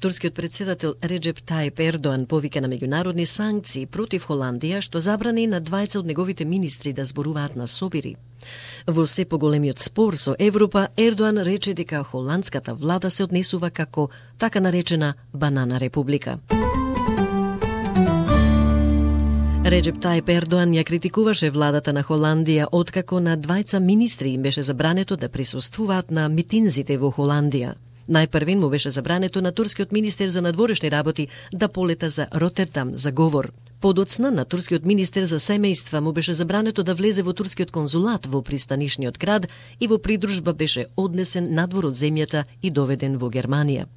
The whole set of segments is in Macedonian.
Турскиот председател Реджеп Тајип Ердоан повика на меѓународни санкции против Холандија, што забрани на двајца од неговите министри да зборуваат на собири. Во се поголемиот спор со Европа, Ердоан рече дека холандската влада се однесува како така наречена банана република. Реджеп Тајип Ердоан ја критикуваше владата на Холандија откако на двајца министри им беше забрането да присуствуваат на митинзите во Холандија. Најпрвен му беше забрането на турскиот министер за надворешни работи да полета за Ротердам за говор. Подоцна на турскиот министер за семејства му беше забрането да влезе во турскиот конзулат во пристанишниот град и во придружба беше однесен надвор од земјата и доведен во Германија.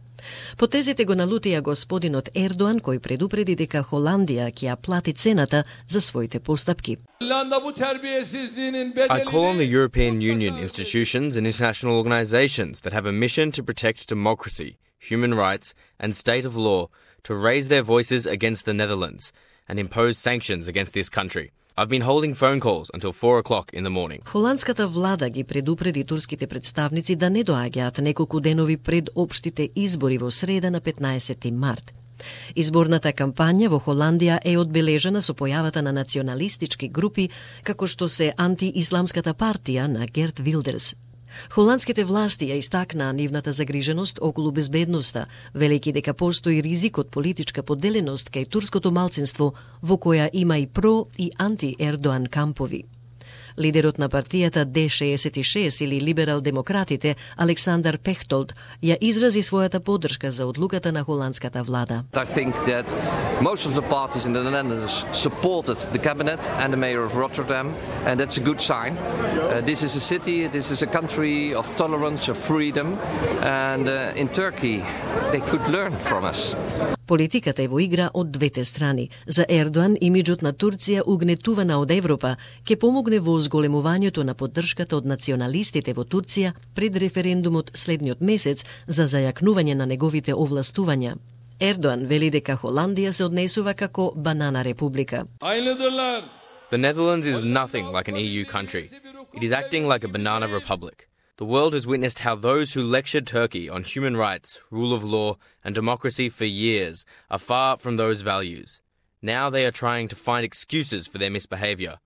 Потезите го налутија господинот Ердоан, кој предупреди дека Холандија ќе ја плати цената за своите постапки. I call on the European Union institutions and international organizations that have a mission to protect democracy, human rights and state of law to raise their voices against the Netherlands and impose sanctions against this country. I've been holding phone calls until 4 o'clock in the morning. Холандската влада ги предупреди турските представници да не доаѓаат неколку денови пред општите избори во среда на 15 март. Изборната кампања во Холандија е одбележена со појавата на националистички групи како што се антиисламската партија на Герт Вилдерс. Холандските власти ја истакнаа нивната загриженост околу безбедноста, велејќи дека постои ризик од политичка поделеност кај турското малцинство, во која има и про и анти-Ердоан кампови. Лидерот на партијата Д66 или либерал-демократите Александар Пехтолд ја изрази својата поддршка за одлуката на холандската влада. I think that most of the parties in the Netherlands supported the cabinet and the mayor of Rotterdam, and that's a good sign. This is a city, this is a country of tolerance, of freedom, and in Turkey they could learn from us. Политиката е во игра од двете страни. За Ердоан имиџот на Турција угнетувана од Европа ќе помогне во зголемувањето на поддршката од националистите во Турција пред референдумот следниот месец за зајакнување на неговите овластувања. Ердоан вели дека Холандија се однесува како банана република. The Netherlands is nothing like an EU country. It is acting like a banana republic. The world has witnessed how those who lectured Turkey on human rights, rule of law, and democracy for years are far from those values. Now they are trying to find excuses for their misbehavior.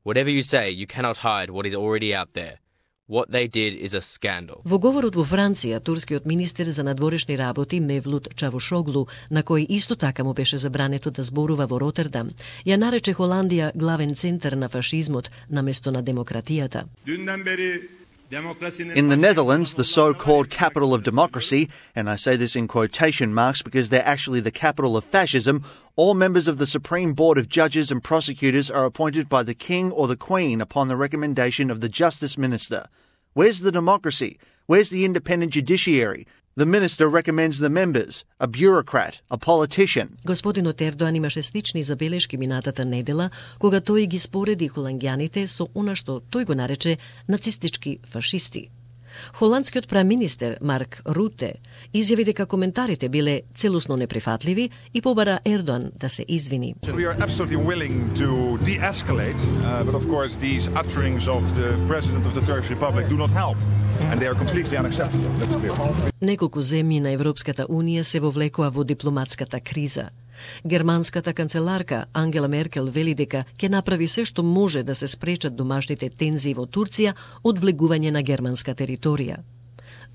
Whatever you say, you cannot hide what is already out there. What they did is a scandal. Во говорот во Франција, турскиот министер за надворешни работи Мевлут Чавушоглу, на кој исто така му беше забрането да зборува во Ротердам, ја нарече Холандија главен центар на фашизмот наместо на демократијата. In the Netherlands, the so-called capital of democracy, and I say this in quotation marks because they're actually the capital of fascism, all members of the Supreme Board of Judges and Prosecutors are appointed by the King or the Queen upon the recommendation of the Justice Minister. Where's the democracy? Where's the independent judiciary? The minister recommends the members, a bureaucrat, a politician. Господинот Ердоан имаше слични забелешки минатата недела, кога тој ги спореди холандјаните со она што тој го нарече нацистички фашисти. Холандскиот премиер Марк Руте изјави дека коментарите биле целосно неприфатливи и побара Ердоан да се извини. We are absolutely willing to de-escalate, but of course these utterings of the President of the Turkish Republic do not help. And they are completely unacceptable. That's clear. Неколку земји на Европската Унија се вовлекоа во дипломатската криза. Германската канцеларка Ангела Меркел вели дека ќе направи се што може да се спречат домашните тензии во Турција од влегување на германска територија.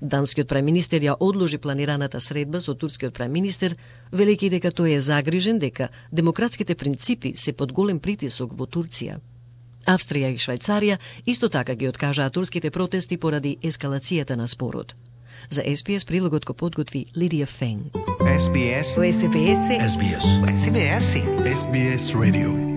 Данскиот премиер ја одложи планираната средба со турскиот премиер, велејќи дека тој е загрижен дека демократските принципи се под голем притисок во Турција. Австрија и Швајцарија исто така ги откажаа турските протести поради ескалацијата на спорот. За SBS прилогот го подготви Лидија Фенг. SBS. SBS. SBS. SBS. SBS Radio.